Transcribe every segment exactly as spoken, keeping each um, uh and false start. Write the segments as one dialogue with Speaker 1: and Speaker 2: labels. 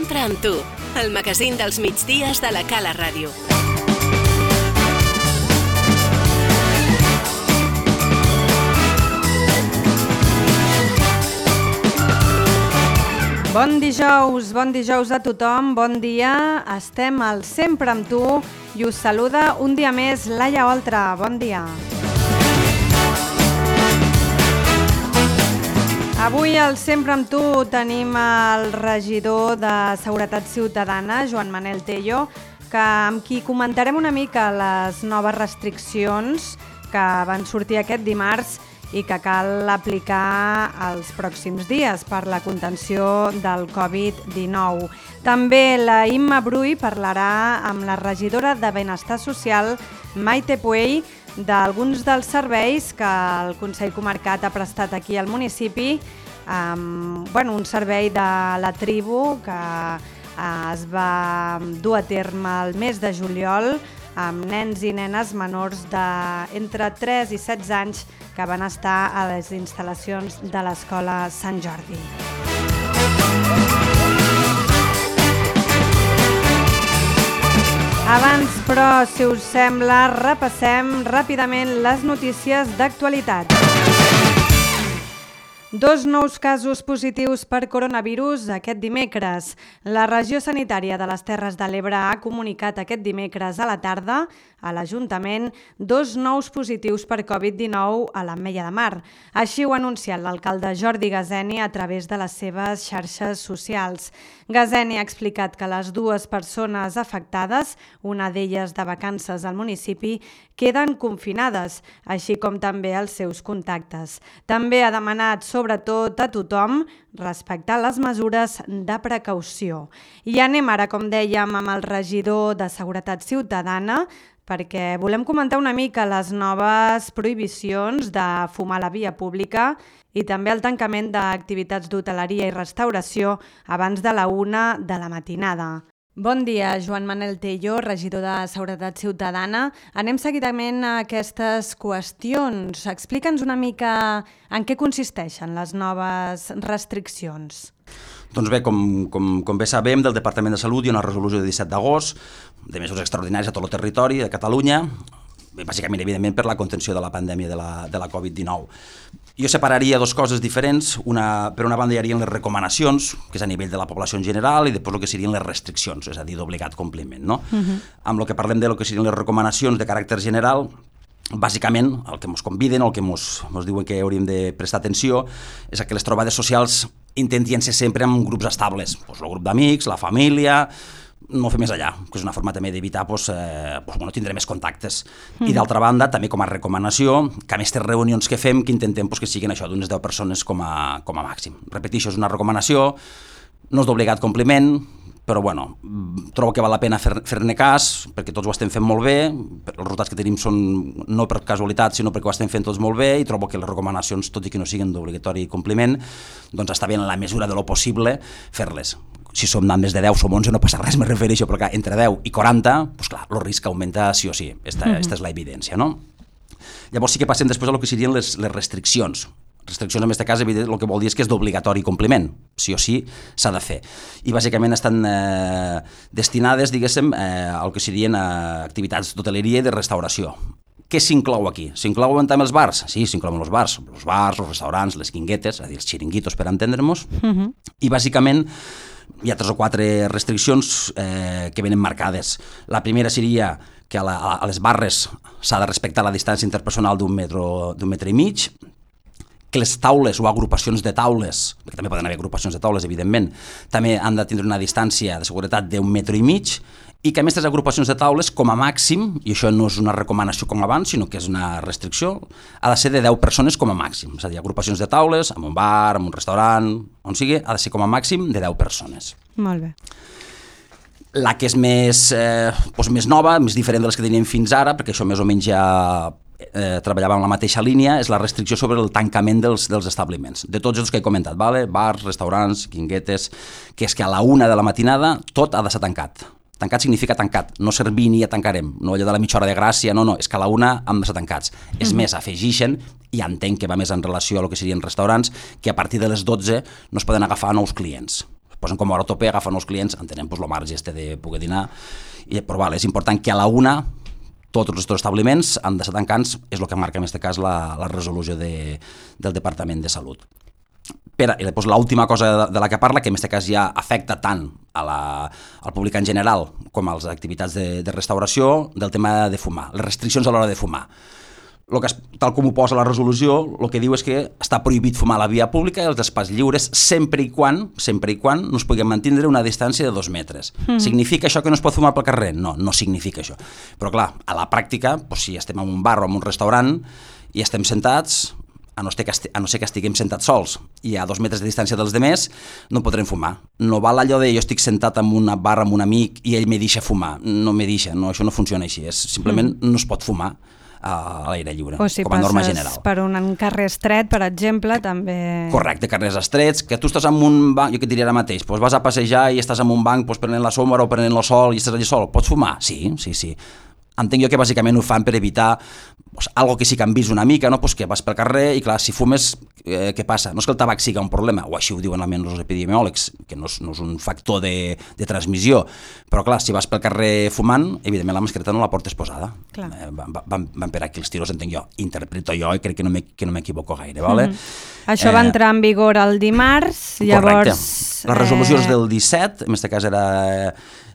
Speaker 1: Sempre amb tu, el magazín dels migdies de la Cala Ràdio.
Speaker 2: Bon dijous, bon dijous a tothom, bon dia. Estem al Sempre amb tu i us saluda un dia més Laia Oltra. Bon dia. Avui al Sempre amb tu tenim el regidor de Seguretat Ciutadana, Joan Manel Tello, que, amb qui comentarem una mica les noves restriccions que van sortir aquest dimarts i que cal aplicar els pròxims dies per la contenció del covid dinou. També la Imma Brull parlarà amb la regidora de Benestar Social, Maite Puey, d'alguns dels serveis que el Consell Comarcat ha prestat aquí al municipi, um, bueno, un servei de la tribu que uh, es va dur a terme el mes de juliol amb nens i nenes menors d'entre tres i setze anys que van estar a les instal·lacions de l'Escola Sant Jordi. Abans, però, si us sembla, repassem ràpidament les notícies d'actualitat. Dos nous casos positius per coronavirus aquest dimecres. La regió sanitària de les Terres de l'Ebre ha comunicat aquest dimecres a la tarda a l'Ajuntament dos nous positius per covid dinou a l'Ametlla de Mar. Així ho ha anunciat l'alcalde Jordi Gazeni a través de les seves xarxes socials. Gazeni ha explicat que les dues persones afectades, una d'elles de vacances al municipi, queden confinades, així com també els seus contactes. També ha demanat, sobretot a tothom, respectar les mesures de precaució. I anem ara, com dèiem, amb el regidor de Seguretat Ciutadana, perquè volem comentar una mica les noves prohibicions de fumar a la via pública i també el tancament d'activitats d'hoteleria i restauració abans de la una de la matinada. Bon dia, Joan Manel Tello, regidor de Seguretat Ciutadana. Anem seguidament a aquestes qüestions. Explica'ns una mica en què consisteixen les noves restriccions.
Speaker 3: Doncs bé, com, com, com bé sabem, del Departament de Salut hi ha una resolució de disset d'agost de mesures extraordinàries a tot el territori de Catalunya, bàsicament, evidentment, per la contenció de la pandèmia de la, de la covid dinou. Jo separaria dues coses diferents. Una, per una banda hi haurien les recomanacions, que és a nivell de la població en general, i després el que serien les restriccions, és a dir, d'obligat compliment. No? Uh-huh. Amb el que parlem de lo que serien les recomanacions de caràcter general, bàsicament el que ens conviden, el que ens diuen que hauríem de prestar atenció, és que les trobades socials intentien ser sempre amb grups estables, doncs el grup d'amics, la família, no fer més allà, que és una forma també d'evitar doncs, eh, doncs, bueno, tindre més contactes. Mm. I d'altra banda, també com a recomanació, que a més les reunions que fem, que intentem doncs, que siguin això d'unes deu persones com a, com a màxim. Repeteixo, és una recomanació, no és d'obligat compliment, però bueno, trobo que val la pena fer, fer-ne cas, perquè tots ho estem fent molt bé, els resultats que tenim són no per casualitat, sinó perquè ho estem fent tots molt bé, i trobo que les recomanacions, tot i que no siguin d'obligatori compliment, doncs està bé en la mesura de lo possible fer-les. Si som més de deu, som onze, no passa res, me refereixo, però clar, entre deu i quaranta, doncs clar, el risc augmenta sí o sí, esta, uh-huh. esta és la evidència, no? Llavors sí que passem després a lo que serien les, les restriccions. Restriccions en aquest cas, evident, el que vol dir és que és d'obligatori compliment, sí o sí s'ha de fer. I bàsicament estan eh, destinades, diguéssim, eh, al que serien eh, activitats d'hoteleria i de restauració. Què s'inclou aquí? S'inclouen també els bars? Sí, s'inclouen els bars, els bars, els restaurants, les quinguetes, és a dir, els xiringuitos per entendre'ns, uh-huh. I bàsicament hi ha tres o quatre restriccions eh, que venen marcades. La primera seria que a, la, a les barres s'ha de respectar la distància interpersonal d'un metre, d'un metre i mig, que les taules o agrupacions de taules, perquè també poden haver agrupacions de taules, evidentment, també han de tindre una distància de seguretat d'un metre i mig, i que a més les agrupacions de taules, com a màxim, i això no és una recomanació com abans, sinó que és una restricció, ha de ser de deu persones com a màxim. És a dir, agrupacions de taules, en un bar, en un restaurant, on sigui, ha de ser com a màxim de deu persones.
Speaker 2: Molt bé.
Speaker 3: La que és més, eh, doncs més nova, més diferent de les que teníem fins ara, perquè això més o menys ja eh, treballava en la mateixa línia, és la restricció sobre el tancament dels, dels establiments. De tots els que he comentat, vale? Bars, restaurants, quinguetes, que és que a la una de la matinada tot ha de ser tancat. Tancat significa tancat, no servir ni ja tancarem, no allò de la mitja hora de gràcia, no, no, és que a la una hem de ser tancats. Mm-hmm. És més, afegixen, i entenc que va més en relació a lo que serien restaurants, que a partir de les dotze no es poden agafar nous clients. posen com a hora tope, agafen els clients, entenem pues, el marge este de poder dinar, i, però vale, és important que a la una tots els establiments han de ser tancants, és el que marca en aquest cas la, la resolució de, del Departament de Salut. Però, i després l'última cosa de, de la que parla, que en aquest cas ja afecta tant a la, al públic en general com a les activitats de, de restauració, del tema de fumar, les restriccions a l'hora de fumar. Lo que es, tal com ho posa la resolució, el que diu és que està prohibit fumar a la via pública i als espais lliures sempre i quan, sempre i quan no es pugui mantenir una distància de dos metres. Mm. Significa això que no es pot fumar pel carrer? No, no significa això. Però clar, a la pràctica, doncs, si estem en un bar o en un restaurant i estem sentats, a no, ser que esti- a no ser que estiguem sentats sols i a dos metres de distància dels demés, no podrem fumar. No val allò de jo estic sentat en una bar amb un amic i ell me deixa fumar. No me deixa, no, això no funciona així. És, simplement mm. no es pot fumar a l'aire lliure,
Speaker 2: o si
Speaker 3: com a norma general.
Speaker 2: O si passes per un carrer estret, per exemple, també...
Speaker 3: Correcte, carrers estrets, que tu estàs en un banc, jo que et diria ara mateix, doncs vas a passejar i estàs en un banc doncs, prenent la sombra o prenent el sol i estàs allà sol, pots fumar? Sí, sí, sí. Entenc jo que bàsicament ho fan per evitar pues, algo que sí que han vist una mica, no? Pues que vas pel carrer i clar, si fumes, eh, què passa? No és que el tabac sigui un problema, o així ho diuen almenys els epidemiòlegs, que no és, no és un factor de, de transmissió, però clar, si vas pel carrer fumant, evidentment la mascareta no la portes posada. Eh, van, van, van per aquí els tiros, entenc jo, interpreto jo i crec que no m'equivoco gaire, vale?
Speaker 2: Mm-hmm. Això va eh, entrar en vigor el dimarts, llavors...
Speaker 3: Correcte. La resolució és del disset, en aquest cas era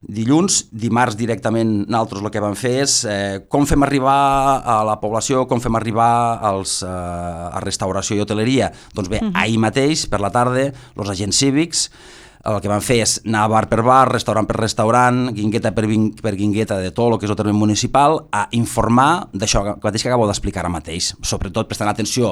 Speaker 3: dilluns, dimarts directament nosaltres el que vam fer és eh, com fem arribar a la població, com fem arribar als, eh, a restauració i hoteleria. Doncs bé, uh-huh. ahir mateix, per la tarda, els agents cívics el que van fer és anar bar per bar, restaurant per restaurant, guingueta per, per guingueta de tot el que és el terme municipal, a informar d'això mateix que acabo d'explicar ara mateix, sobretot prestant atenció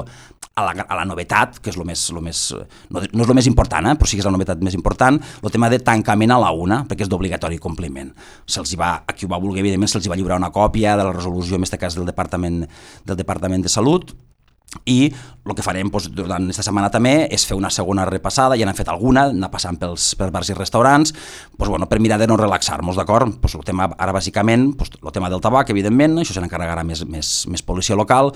Speaker 3: a la, a la novetat, que és, lo més, lo més, no, no és el més important, eh, però sí que és la novetat més important, el tema de tancament a la una, perquè és d'obligatori compliment. Se'ls va, a qui ho va voler, evidentment, se'ls va lliurar una còpia de la resolució, en aquest cas del Departament, del Departament de Salut, i el que farem doncs, durant aquesta setmana també és fer una segona repassada, ja n'hem fet alguna, anar passant pels, pels bars i restaurants, doncs, bueno, per mirar de no relaxar-nos, d'acord? Doncs, el tema ara bàsicament, doncs, el tema del tabac, evidentment, això se n'encarregarà més, més, més policia local.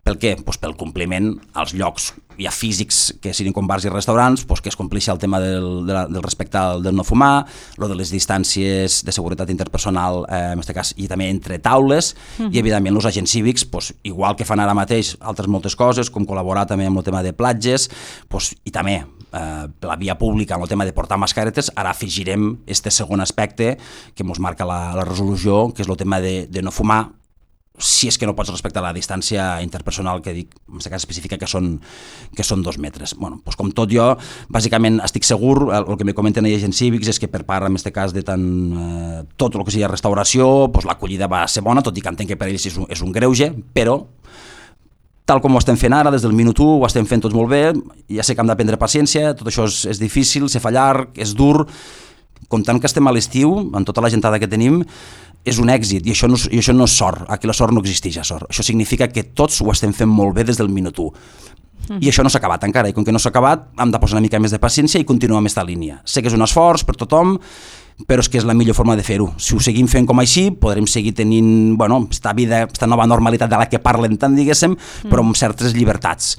Speaker 3: Per què? Pues pel compliment als llocs ja físics que siguin com bars i restaurants, pues que es compleixi el tema del, de la, del respecte al, del no fumar, lo de les distàncies de seguretat interpersonal, eh, en aquest cas, i també entre taules, uh-huh. i evidentment els agents cívics, pues, igual que fan ara mateix altres moltes coses, com col·laborar també amb el tema de platges, pues, i també eh, la via pública amb el tema de portar mascaretes, ara afegirem este segon aspecte que ens marca la, la resolució, que és el tema de, de no fumar, si és que no pots respectar la distància interpersonal que dic, en aquest cas específica, que són, que són dos metres. Bueno, doncs com tot jo, bàsicament estic segur, el, el que me comenten els agents cívics és que per part, en aquest cas, de tant, eh, tot el que sigui restauració, doncs l'acollida va ser bona, tot i que entenc que per ells és un, és un greuge, però tal com ho estem fent ara, des del minut u, ho estem fent tots molt bé, ja sé que hem d'aprendre paciència, tot això és, és difícil, se fa llarg, és dur, comptant que estem a l'estiu, amb tota la gentada que tenim, és un èxit, i això, no, i això no és sort, aquí la sort no existeix, sort. Això significa que tots ho estem fent molt bé des del minut u. Mm. I això no s'ha acabat encara, i com que no s'ha acabat, hem de posar una mica més de paciència i continuar amb aquesta línia. Sé que és un esforç per tothom, però és que és la millor forma de fer-ho. Si ho seguim fent com així, podrem seguir tenint, bueno, esta vida, esta nova normalitat de la que parlen tant, diguéssim, mm. però amb certes llibertats,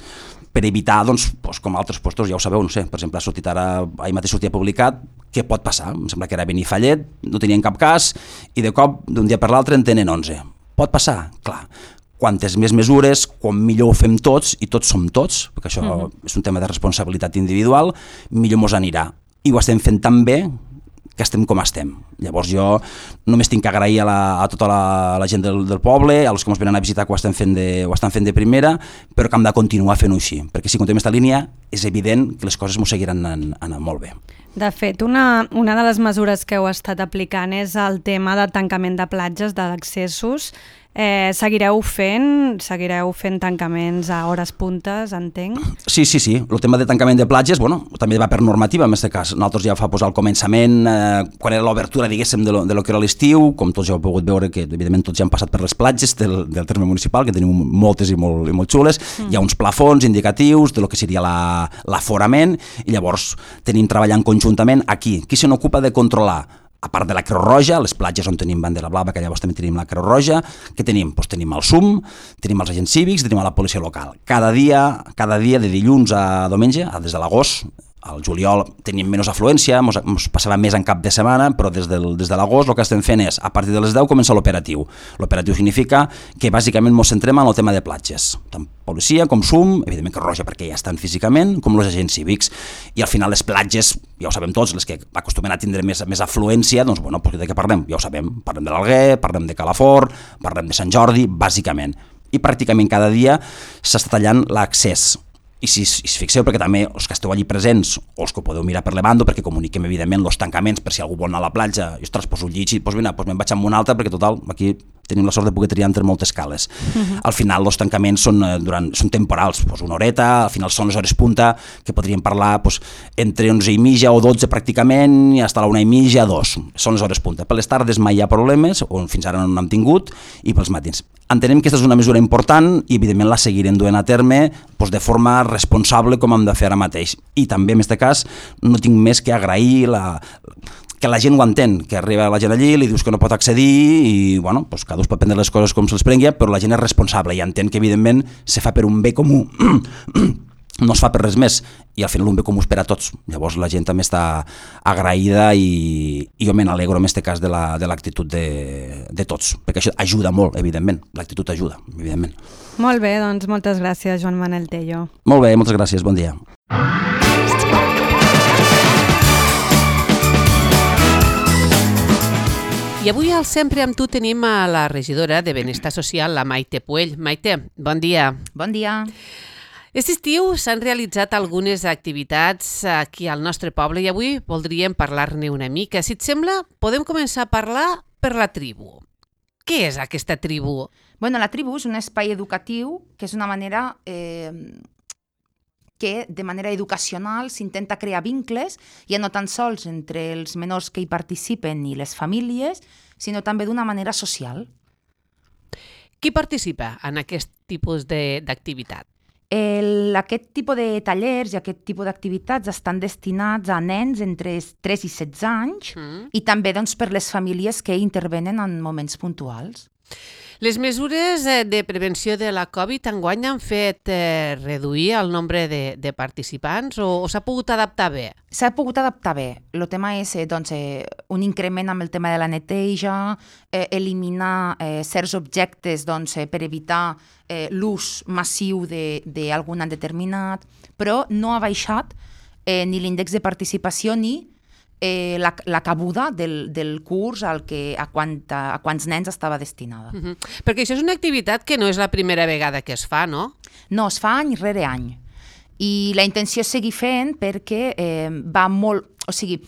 Speaker 3: per evitar, doncs, doncs com altres puestos, ja ho sabeu, no sé, per exemple, ha sortit ara, ahir mateix sortia publicat, què pot passar? Em sembla que era Benifallet, no tenien cap cas, i de cop, d'un dia per l'altre, en tenen onze. Pot passar? Clar. Quantes més mesures, quan millor ho fem tots, i tots som tots, perquè això uh-huh. és un tema de responsabilitat individual, millor mos anirà. I ho estem fent tan bé que estem com estem. Llavors jo només tinc que agrair a, la, a tota la, la gent del, del poble, a els que ens venen a visitar que ho estan fent de, ho estan fent de primera, però que hem de continuar fent-ho així, perquè si continuem aquesta línia és evident que les coses ens seguiran anant, anant molt bé.
Speaker 2: De fet, una, una de les mesures que heu estat aplicant és el tema de tancament de platges, d'accessos. Eh, seguireu fent seguireu fent tancaments a hores puntes, entenc?
Speaker 3: Sí, sí, sí. El tema de tancament de platges, bueno, també va per normativa, en aquest cas. Nosaltres ja fa posar al començament, eh, quan era l'obertura, diguéssim, de lo, de lo que era l'estiu, com tots ja heu pogut veure, que evidentment tots ja han passat per les platges del, del terme municipal, que tenim moltes i molt, i molt xules, mm. hi ha uns plafons indicatius de lo que seria la, l'aforament, i llavors tenim treballant conjuntament aquí. Qui se n'ocupa de controlar? A part de la Creu Roja, les platges on tenim bandera blava, que llavors també tenim la Creu Roja, què tenim? Doncs tenim el S U M, tenim els agents cívics, tenim la policia local. Cada dia, cada dia de dilluns a diumenge, des de l'agost, Al juliol teníem menys afluència, ens passava més en cap de setmana, però des, del, des de l'agost el que estem fent és, a partir de les deu comença l'operatiu. L'operatiu significa que bàsicament ens centrem en el tema de platges, tant policia com S U M, evidentment que Roja perquè ja estan físicament, com els agents cívics, i al final les platges, ja ho sabem tots, les que acostumen a tindre més, més afluència, doncs bueno, de què parlem? Ja ho sabem, parlem de l'Alguer, parlem de Calafort, parlem de Sant Jordi, bàsicament, i pràcticament cada dia s'està tallant l'accés. I si, si fixeu, perquè també els que esteu allí presents o els que ho podeu mirar per Levando, perquè comuniquem evidentment els tancaments per si algú vol anar a la platja i ostres, poso un llit i doncs vine, doncs me'n vaig amb una altra perquè total, aquí tenim la sort de poder triar entre moltes cales. Uh-huh. Al final els tancaments són, durant, són temporals, doncs una horeta, al final són les hores punta, que podríem parlar doncs, entre onze i mitja o dotze pràcticament i fins a la una i mitja, dos, són les hores punta. Per les tardes mai hi ha problemes, o fins ara no n'hem tingut, i pels matins. Entenem que aquesta és una mesura important i evidentment la seguirem duent a terme doncs, de forma responsable com hem de fer ara mateix. I també en aquest cas no tinc més que agrair la, que la gent ho entén, que arriba la gent allí, li dius que no pot accedir i bueno, doncs cada un pot prendre les coses com se'ls prengui, però la gent és responsable i entén que evidentment se fa per un bé comú. No es fa per res més i al final un bé comú és per a tots. Llavors la gent també està agraïda i, i jo me n'alegro en aquest cas de l'actitud la, de, de tots, perquè això ajuda molt, evidentment. L'actitud ajuda, evidentment.
Speaker 2: Molt bé, doncs moltes gràcies, Joan Manel Tello.
Speaker 3: Molt bé, moltes gràcies, bon dia.
Speaker 4: I avui al Sempre amb tu tenim a la regidora de Benestar Social, la Maite Puell. Maite, bon dia.
Speaker 5: Bon dia.
Speaker 4: Aquest estiu s'han realitzat algunes activitats aquí al nostre poble i avui voldríem parlar-ne una mica. Si et sembla, podem començar a parlar per la tribu. Què és aquesta tribu?
Speaker 5: Bueno, la tribu és un espai educatiu que és una manera eh, que de manera educacional s'intenta crear vincles, ja no tan sols entre els menors que hi participen i les famílies, sinó també d'una manera social.
Speaker 4: Qui participa en aquest tipus d'activitat?
Speaker 5: El, aquest tipus de tallers i aquest tipus d'activitats estan destinats a nens entre tres i setze anys mm. i també doncs, per les famílies que intervenen en moments puntuals.
Speaker 4: Les mesures de prevenció de la Covid enguany han fet eh, reduir el nombre de, de participants o, o s'ha pogut adaptar bé?
Speaker 5: S'ha pogut adaptar bé. El tema és eh, doncs, eh, un increment amb el tema de la neteja, eh, eliminar eh, certs objectes doncs, eh, per evitar eh, l'ús massiu d'algun determinat, però no ha baixat eh, ni l'índex de participació ni Eh, la, la cabuda del, del curs al que, a, quanta, a quants nens estava destinada.
Speaker 4: Uh-huh. Perquè això és una activitat que no és la primera vegada que es fa, no?
Speaker 5: No, es fa any rere any. I la intenció és seguir fent perquè eh, va molt... O sigui,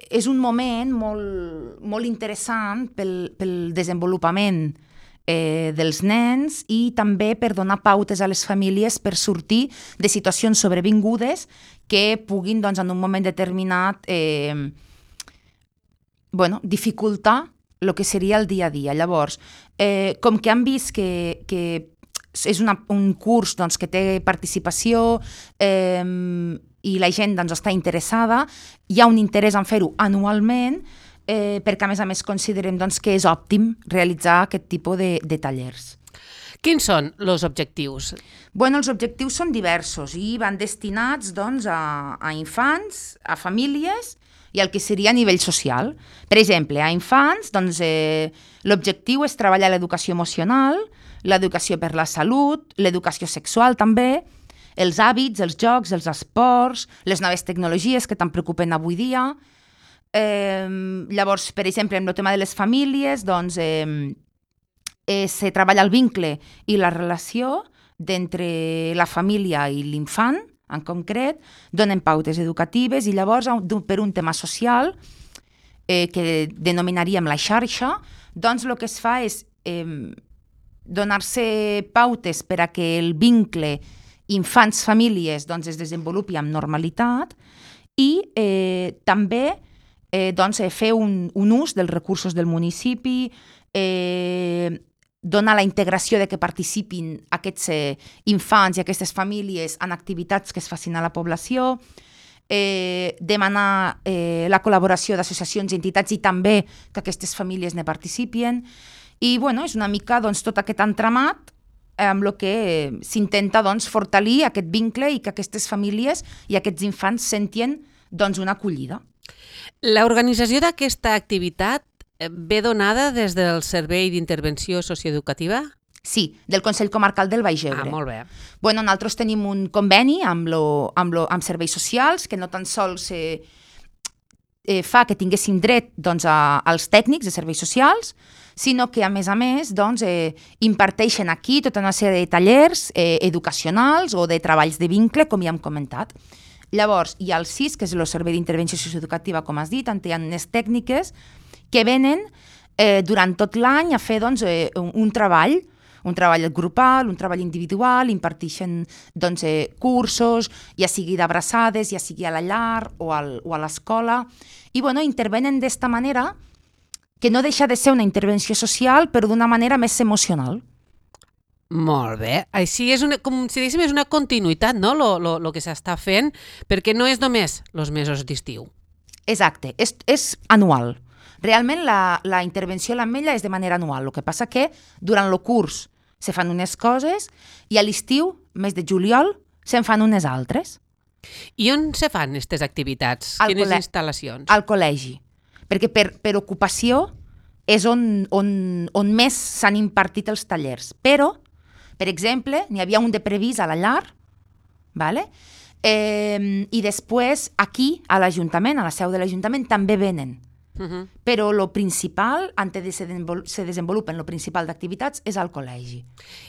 Speaker 5: és un moment molt, molt interessant pel, pel desenvolupament eh, dels nens i també per donar pautes a les famílies per sortir de situacions sobrevingudes que puguin, doncs, en un moment determinat, eh, bueno, dificultar el que seria el dia a dia. Llavors, eh, com que han vist que, que és una, un curs doncs, que té participació eh, i la gent doncs, està interessada, hi ha un interès en fer-ho anualment, eh, perquè a més a més considerem doncs, que és òptim realitzar aquest tipus de, de tallers.
Speaker 4: Quins són els objectius?
Speaker 5: Bueno, els objectius són diversos i van destinats doncs, a, a infants, a famílies i al que seria a nivell social. Per exemple, a infants, doncs, eh, l'objectiu és treballar l'educació emocional, l'educació per la salut, l'educació sexual també, els hàbits, els jocs, els esports, les noves tecnologies que tant preocupen avui dia. Eh, llavors, per exemple, amb el tema de les famílies, doncs, eh, eh, se treballa el vincle i la relació d'entre la família i l'infant, en concret, donen pautes educatives i llavors, per un tema social, eh, que denominaríem la xarxa, doncs el que es fa és eh, donar-se pautes per a que el vincle infants-famílies doncs, es desenvolupi amb normalitat i eh, també eh, doncs, fer un, un ús dels recursos del municipi, eh, donar la integració de que participin aquests eh, infants i aquestes famílies en activitats que es facin a la població, eh, demanar eh, la col·laboració d'associacions i entitats i també que aquestes famílies ne participin. I bueno, és una mica doncs, tot aquest entramat amb el que s'intenta doncs, fortalir aquest vincle i que aquestes famílies i aquests infants sentien doncs, una acollida.
Speaker 4: L'organització d'aquesta activitat ve donada des del Servei d'Intervenció Socioeducativa?
Speaker 5: Sí, del Consell Comarcal del Baix Ebre.
Speaker 4: Ah, molt bé.
Speaker 5: Bueno, nosaltres tenim un conveni amb, lo, amb, lo, amb serveis socials que no tan sols eh, eh, fa que tinguéssim dret doncs, a, als tècnics de serveis socials, sinó que, a més a més, doncs, eh, imparteixen aquí tota una sèrie de tallers eh, educacionals o de treballs de vincle, com ja hem comentat. Llavors, hi ha el S I S, que és el Servei d'Intervenció Socioeducativa, com has dit, on hi ha unes tècniques que venen eh, durant tot l'any a fer doncs, eh, un, un treball, un treball grupal, un treball individual, imparteixen doncs, eh, cursos, ja sigui d'abraçades, ja sigui a la llar o, al, o a l'escola, i bueno, intervenen d'esta manera que no deixa de ser una intervenció social, però d'una manera més emocional.
Speaker 4: Molt bé. Així és una, com si diguéssim, és una continuïtat, no?, lo, lo, lo que s'està fent, perquè no és només els mesos d'estiu.
Speaker 5: Exacte, és, és anual. Realment la, la intervenció a l'Ametlla és de manera anual. El que passa que durant el curs se fan unes coses i a l'estiu, mes de juliol, se'n fan unes altres.
Speaker 4: I on se fan aquestes activitats?
Speaker 5: Al
Speaker 4: Quines
Speaker 5: col·le-
Speaker 4: instal·lacions?
Speaker 5: Al col·legi. Perquè per, per ocupació és on, on, on més s'han impartit els tallers. Però, per exemple, n'hi havia un de previst a la llar, vale? eh, i després aquí, a l'Ajuntament, a la seu de l'Ajuntament, també venen.
Speaker 4: Uh-huh.
Speaker 5: Però el principal, antes de se, desenvol- se desenvolupen, el principal d'activitats és al col·legi.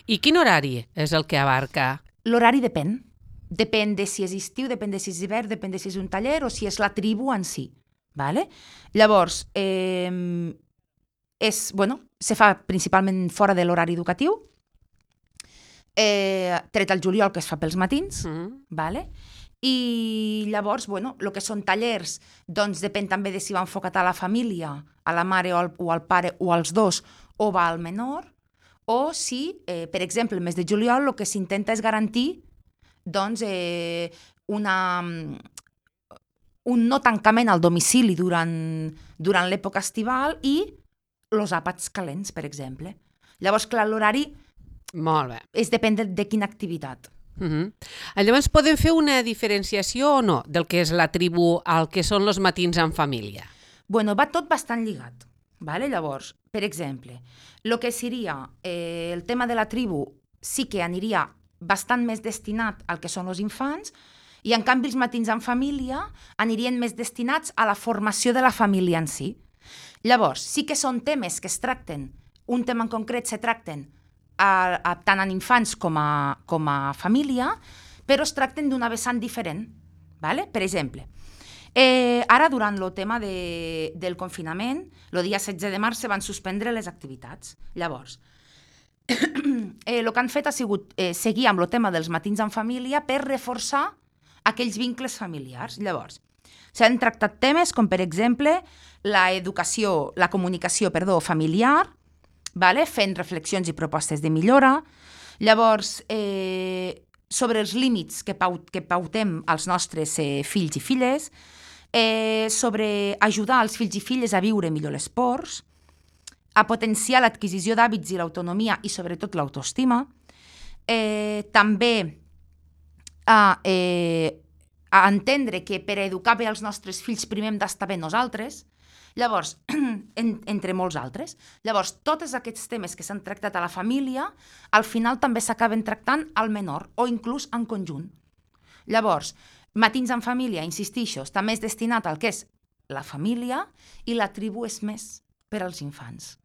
Speaker 4: I quin horari és el que abarca?
Speaker 5: L'horari depèn. Depèn de si és estiu, depèn de si és hivern, depèn de si és un taller o si és la tribu en si. Vale? Llavors, eh, és, bueno, se fa principalment fora de l'horari educatiu, eh, tret al juliol, que es fa pels matins,
Speaker 4: Uh-huh.
Speaker 5: vale? I llavors, bueno, el que són tallers, doncs depèn també de si va enfocat a la família, a la mare o al, o al pare o als dos, o va al menor, o si, eh, per exemple, el mes de juliol el que s'intenta és garantir doncs, eh, una, un no tancament al domicili durant, durant l'època estival i els àpats calents, per exemple. Llavors, clar, l'horari
Speaker 4: Molt bé.
Speaker 5: és depèn de, de quina activitat.
Speaker 4: Uh-huh. Llavors, podem fer una diferenciació o no del que és la tribu al que són els matins en família?
Speaker 5: Bueno, va tot bastant lligat. Vale? Llavors, per exemple, el que seria eh, el tema de la tribu sí que aniria bastant més destinat al que són els infants i, en canvi, els matins en família anirien més destinats a la formació de la família en si. Llavors, sí que són temes que es tracten, un tema en concret se tracten a, a, tant en infants com a, com a família, però es tracten d'una vessant diferent. Vale? Per exemple, eh, ara durant el tema de, del confinament, el dia setze de març se van suspendre les activitats. Llavors, eh, el que han fet ha sigut eh, seguir amb el tema dels matins en família per reforçar aquells vincles familiars. Llavors, s'han tractat temes com, per exemple, la educació, la comunicació, perdó, familiar, vale? Fent reflexions i propostes de millora. Llavors, eh, sobre els límits que, pau, que pautem als nostres eh, fills i filles, eh, sobre ajudar els fills i filles a viure millor l'esport, a potenciar l'adquisició d'hàbits i l'autonomia i sobretot l'autoestima, eh, també a, eh, a entendre que per educar bé els nostres fills primer hem d'estar bé nosaltres. Llavors, en, entre molts altres. Llavors, tots aquests temes que s'han tractat a la família, al final també s'acaben tractant al menor, o inclús en conjunt. Llavors, matins en família, insistixo, està més destinat al que és la família i la tribu és més per als infants.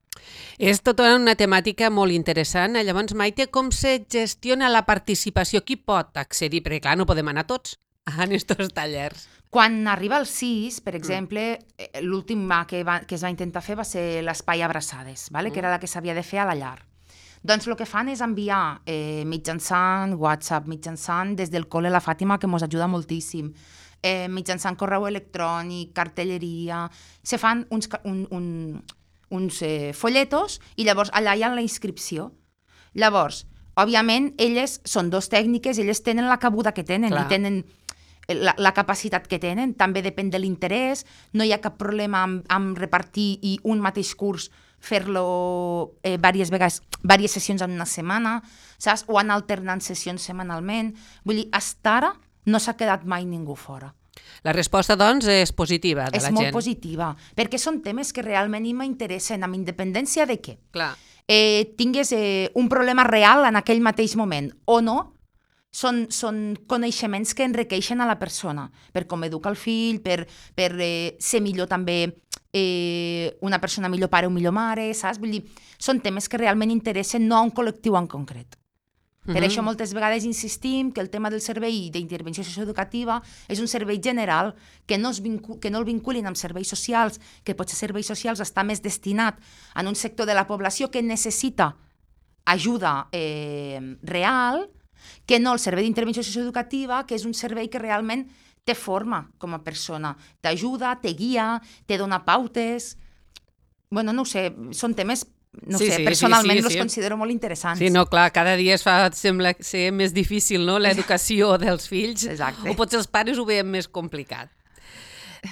Speaker 4: És tota una temàtica molt interessant. Llavors, Maite, com se gestiona la participació? Qui pot accedir? Perquè, clar, no podem anar tots a aquests tallers.
Speaker 5: Quan arriba el sis, per exemple, mm. l'últim que, va, que es va intentar fer va ser l'espai abraçades, vale? Mm. que era la que s'havia de fer a la llar. Doncs el que fan és enviar eh, mitjançant WhatsApp, mitjançant des del col·le La Fàtima, que ens ajuda moltíssim, eh, mitjançant correu electrònic, cartelleria, se fan uns, un, un, uns eh, folletos i llavors allà hi ha la inscripció. Llavors, òbviament, elles són dos tècniques, elles tenen la cabuda que tenen Clar. i tenen La, la capacitat que tenen, també depèn de l'interès, no hi ha cap problema amb, amb repartir i un mateix curs fer-lo eh, diverses vegades, diverses sessions en una setmana, saps? O anar alternant sessions setmanalment. Vull dir, hasta ara no s'ha quedat mai ningú fora.
Speaker 4: La resposta, doncs, és positiva de
Speaker 5: és
Speaker 4: la gent.
Speaker 5: És molt positiva, perquè són temes que realment m'interessen, amb independència de què.
Speaker 4: Clar.
Speaker 5: Eh, tingues eh, un problema real en aquell mateix moment, o no, són, són coneixements que enriqueixen a la persona, per com educar el fill, per, per eh, ser millor també eh, una persona millor pare o millor mare, saps? Vull dir, són temes que realment interessen no a un col·lectiu en concret. Per
Speaker 4: Mhm.
Speaker 5: això moltes vegades insistim que el tema del servei d'intervenció socioeducativa és un servei general, que no, es vincu que no el vinculin amb serveis socials, que potser serveis socials està més destinat a un sector de la població que necessita ajuda eh, real, que no el servei d'intervenció socioeducativa, que és un servei que realment te forma com a persona, t'ajuda, te guia, te dona pautes. Bueno, no ho sé, són temes, no
Speaker 4: Sí,
Speaker 5: sé,
Speaker 4: sí,
Speaker 5: personalment
Speaker 4: sí, sí,
Speaker 5: els
Speaker 4: sí.
Speaker 5: considero molt interessants.
Speaker 4: Sí, no, clar, cada dia es fa, sembla ser més difícil, no?, l'educació dels fills.
Speaker 5: Exacte.
Speaker 4: O potser els pares ho veiem més complicat.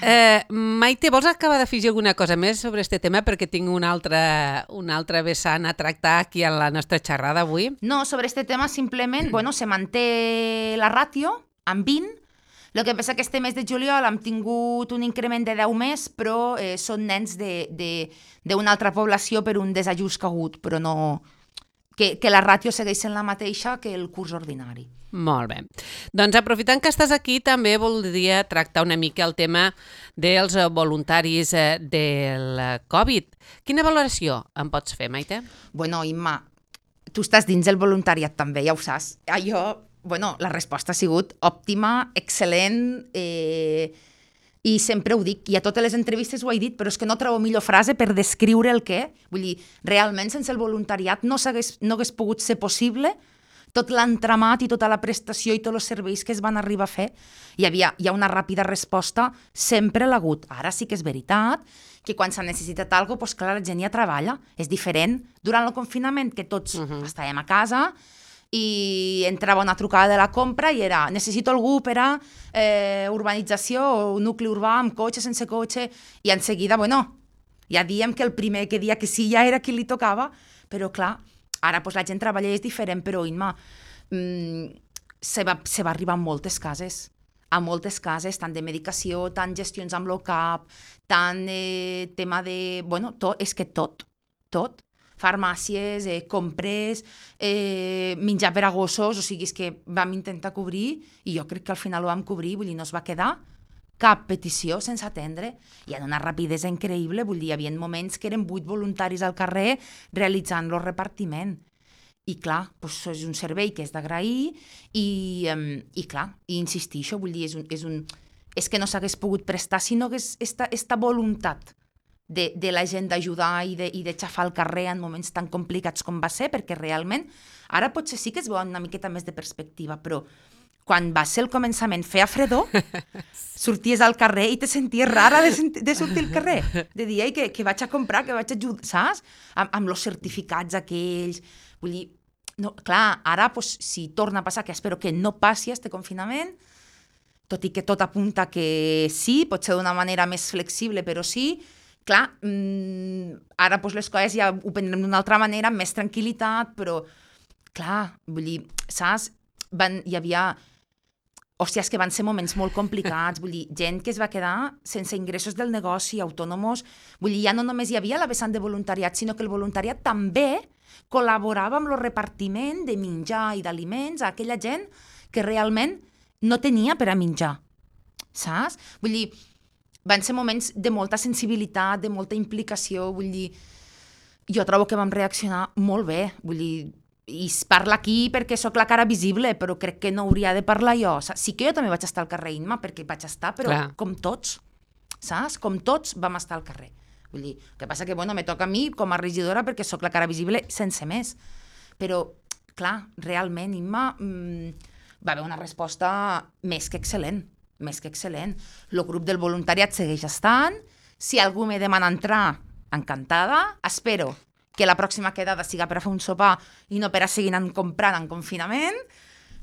Speaker 4: Eh, Maite, vols acabar d'afegir alguna cosa més sobre aquest tema? Perquè tinc una altra, una altra vessant a tractar aquí a la nostra xerrada avui.
Speaker 5: No, sobre este tema simplement, bueno, se manté la ràtio amb vint. El que passa que este mes de juliol hem tingut un increment de deu més, però eh, són nens d'una altra població per un desajust que ha hagut, però no... Que, que la ràtio segueix sent la mateixa que el curs ordinari.
Speaker 4: Molt bé. Doncs aprofitant que estàs aquí, també voldria tractar una mica el tema dels voluntaris eh, del Covid. Quina valoració em pots fer, Maite?
Speaker 5: Bueno, Imma, tu estàs dins el voluntariat també, ja ho saps. Allò, bueno, la resposta ha sigut òptima, excel·lent, eh, i sempre ho dic, i a totes les entrevistes ho he dit, però és que no trobo millor frase per descriure el què. Vull dir, realment sense el voluntariat no hagués, no hagués pogut ser possible tot l'entramat i tota la prestació i tots els serveis que es van arribar a fer. Hi havia, hi ha una ràpida resposta, sempre l'ha hagut. Ara sí que és veritat que quan s'ha necessitat alguna cosa, doncs clar, la gent ja treballa. És diferent durant el confinament, que tots uh-huh. estàvem a casa, i entrava una trucada de la compra i era necessito algú per a eh, urbanització o nucli urbà amb cotxe, sense cotxe, i en seguida, bueno, ja diem que el primer que dia que sí ja era qui li tocava, però clar, ara pues, la gent treballa i és diferent, però Imma, mmm, se, va, se va arribar a moltes cases, a moltes cases, tant de medicació, tant gestions amb l'O C A P, tant eh, tema de... Bueno, tot, és que tot, tot. Farmàcies, eh, compres, eh, menjar per a gossos, o sigui, és que vam intentar cobrir i jo crec que al final ho vam cobrir, vull dir, no es va quedar cap petició sense atendre i en una rapidesa increïble, vull dir, hi havia moments que eren vuit voluntaris al carrer realitzant el repartiment. I clar, doncs és un servei que és d'agrair i, um, i clar, i insistixo, vull dir, és, un, és, un, és que no s'hagués pogut prestar si no hagués esta, esta voluntat De, de la gent d'ajudar i de, i de xafar al carrer en moments tan complicats com va ser, perquè realment, ara potser sí que es veu una miqueta més de perspectiva, però quan va ser el començament, feia fredor, sorties al carrer i te senties rara de, de sortir al carrer, de dir, ei, que, que vaig a comprar, que vaig a ajudar, saps? Amb, amb els certificats aquells, vull dir, no, clar, ara, pues, si torna a passar, que espero que no passi este confinament, tot i que tot apunta que sí, pot ser d'una manera més flexible, però sí. Clar, mmm, ara doncs, les coses ja ho prendrem d'una altra manera, amb més tranquil·litat, però, clar, vull dir, saps? Van, hi havia... Hòstia, és que van ser moments molt complicats, vull dir, gent que es va quedar sense ingressos del negoci, autònomos, vull dir, ja no només hi havia la vessant de voluntariat, sinó que el voluntariat també col·laborava amb el repartiment de menjar i d'aliments a aquella gent que realment no tenia per a menjar, saps? Vull dir, van ser moments de molta sensibilitat, de molta implicació, vull dir, jo trobo que vam reaccionar molt bé, vull dir, i es parla aquí perquè sóc la cara visible, però crec que no hauria de parlar jo. Sí que jo també vaig estar al carrer, Imma, perquè vaig estar, però
Speaker 4: Clar.
Speaker 5: com tots, saps? Com tots vam estar al carrer. Vull dir, el que passa que, bueno, me toca a mi com a regidora perquè sóc la cara visible sense més. Però, clar, realment, Imma, mmm, va haver una resposta més que excel·lent. més que excel·lent. El grup del voluntariat segueix estant. Si algú me demana entrar, encantada. Espero que la pròxima quedada siga per a fer un sopar i no per a seguir anant comprant en confinament.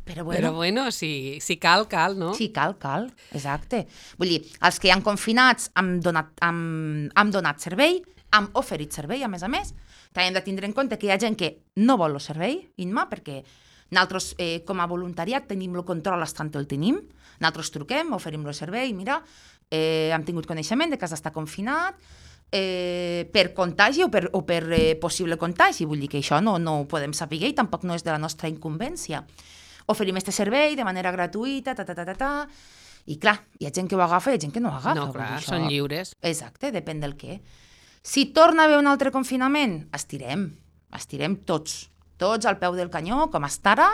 Speaker 5: Però bueno,
Speaker 4: Però bueno, si, si cal, cal, no?
Speaker 5: sí, cal, cal, exacte. Vull dir, els que hi han confinats han donat, han, han donat servei hem oferit servei, a més a més. També hem de tindre en compte que hi ha gent que no vol el servei, Inma, perquè nosaltres, eh, com a voluntariat, tenim el control estant el tenim. Nosaltres truquem, oferim el servei, mira, eh, hem tingut coneixement de que has d'estar confinat, eh, per contagi o per, o per eh, possible contagi. Vull dir que això no, no ho podem saber i tampoc no és de la nostra incumbència. Oferim este servei de manera gratuïta, ta, ta, ta, ta, ta, i clar, hi ha gent que ho agafa i hi ha gent que no ho agafa.
Speaker 4: No, clar, són lliures.
Speaker 5: Exacte, depèn del què. Si torna a haver un altre confinament, estirem, estirem tots, tots al peu del canyó, com està ara,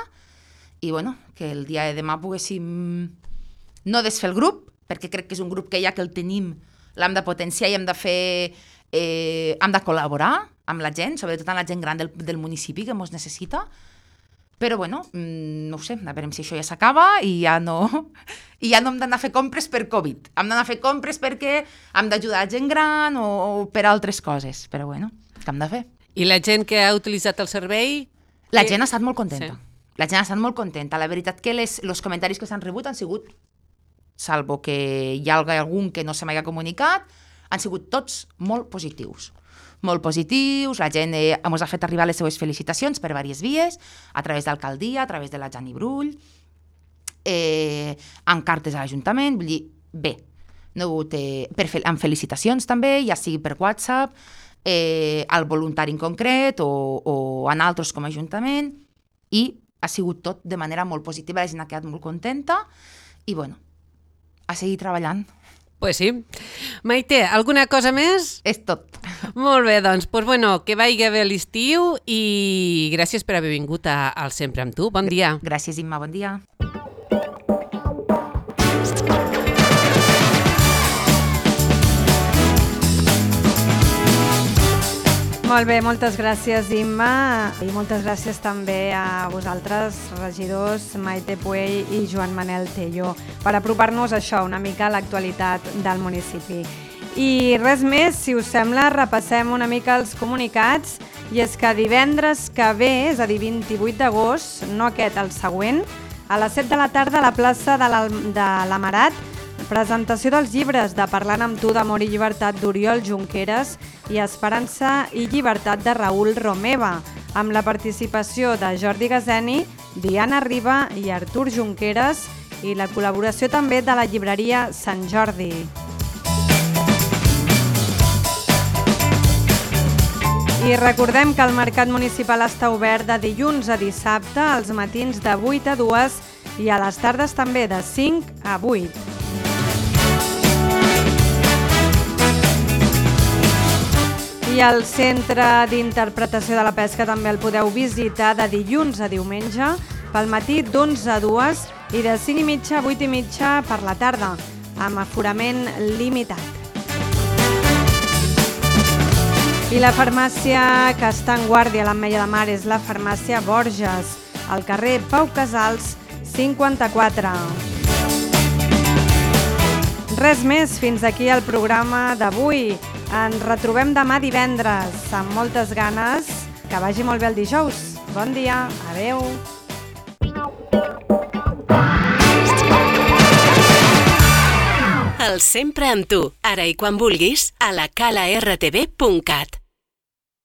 Speaker 5: i bueno, que el dia de demà poguéssim no desfer el grup, perquè crec que és un grup que ja que el tenim, l'hem de potenciar i hem de fer, eh, hem de col·laborar amb la gent, sobretot amb la gent gran del, del municipi que ens necessita. Però, bueno, no ho sé, a veure si això ja s'acaba i ja no i ja no hem d'anar a fer compres per Covid. Hem d'anar a fer compres perquè hem d'ajudar a gent gran o, o per altres coses. Però, bueno, què hem de fer?
Speaker 4: I la gent que ha utilitzat el servei?
Speaker 5: La
Speaker 4: que...
Speaker 5: gent ha estat molt contenta.
Speaker 4: Sí.
Speaker 5: La gent ha estat molt contenta. La veritat que les, els comentaris que s'han rebut han sigut, salvo que hi ha algun que no se m'hagi comunicat, han sigut tots molt positius. Molt positius, la gent eh, ens ha fet arribar les seues felicitacions per diverses vies, a través d'alcaldia, a través de la Jani Brull, eh, amb cartes a l'Ajuntament, vull dir, bé, no ha hagut, eh, per fe amb felicitacions també, ja sigui per WhatsApp, eh, al voluntari en concret o, o en altres com a Ajuntament, i ha sigut tot de manera molt positiva, la gent ha quedat molt contenta, i bueno, a seguir treballant.
Speaker 4: Pues sí. Maite, alguna cosa més?
Speaker 5: És tot.
Speaker 4: Molt bé, doncs, pues bueno, que vagi bé l'estiu i gràcies per haver vingut a, al Sempre amb tu. Bon dia.
Speaker 5: Gràcies, Imma, bon dia.
Speaker 2: Molt bé, moltes gràcies, Imma, i moltes gràcies també a vosaltres, regidors Maite Puell i Joan Manel Tello, per apropar-nos a això, una mica a l'actualitat del municipi. I res més, si us sembla, repassem una mica els comunicats, i és que divendres que ve, és a dir, vint-i-vuit d'agost, no aquest, el següent, a les set de la tarda a la plaça de l'Amarat, presentació dels llibres de Parlant amb tu d'Amor i Llibertat d'Oriol Junqueras i Esperança i Llibertat de Raül Romeva, amb la participació de Jordi Gazeni, Diana Riba i Artur Junqueras i la col·laboració també de la llibreria Sant Jordi. I recordem que el Mercat Municipal està obert de dilluns a dissabte, als matins de vuit a dues i a les tardes també de cinc a vuit. I el Centre d'Interpretació de la Pesca també el podeu visitar de dilluns a diumenge, pel matí d'onze a dues i de cinc i mitja a vuit i mitja per la tarda, amb aforament limitat. I la farmàcia que està en guàrdia a l'Ametlla de Mar és la farmàcia Borges, al carrer Pau Casals cinquanta-quatre. Res més, fins aquí el programa d'avui. Ens retrobem demà divendres, amb moltes ganes. Que vagi molt bé el dijous. Bon dia, adeu.
Speaker 1: El Sempre amb tu, ara i quan vulguis, a la cala r t v punt cat.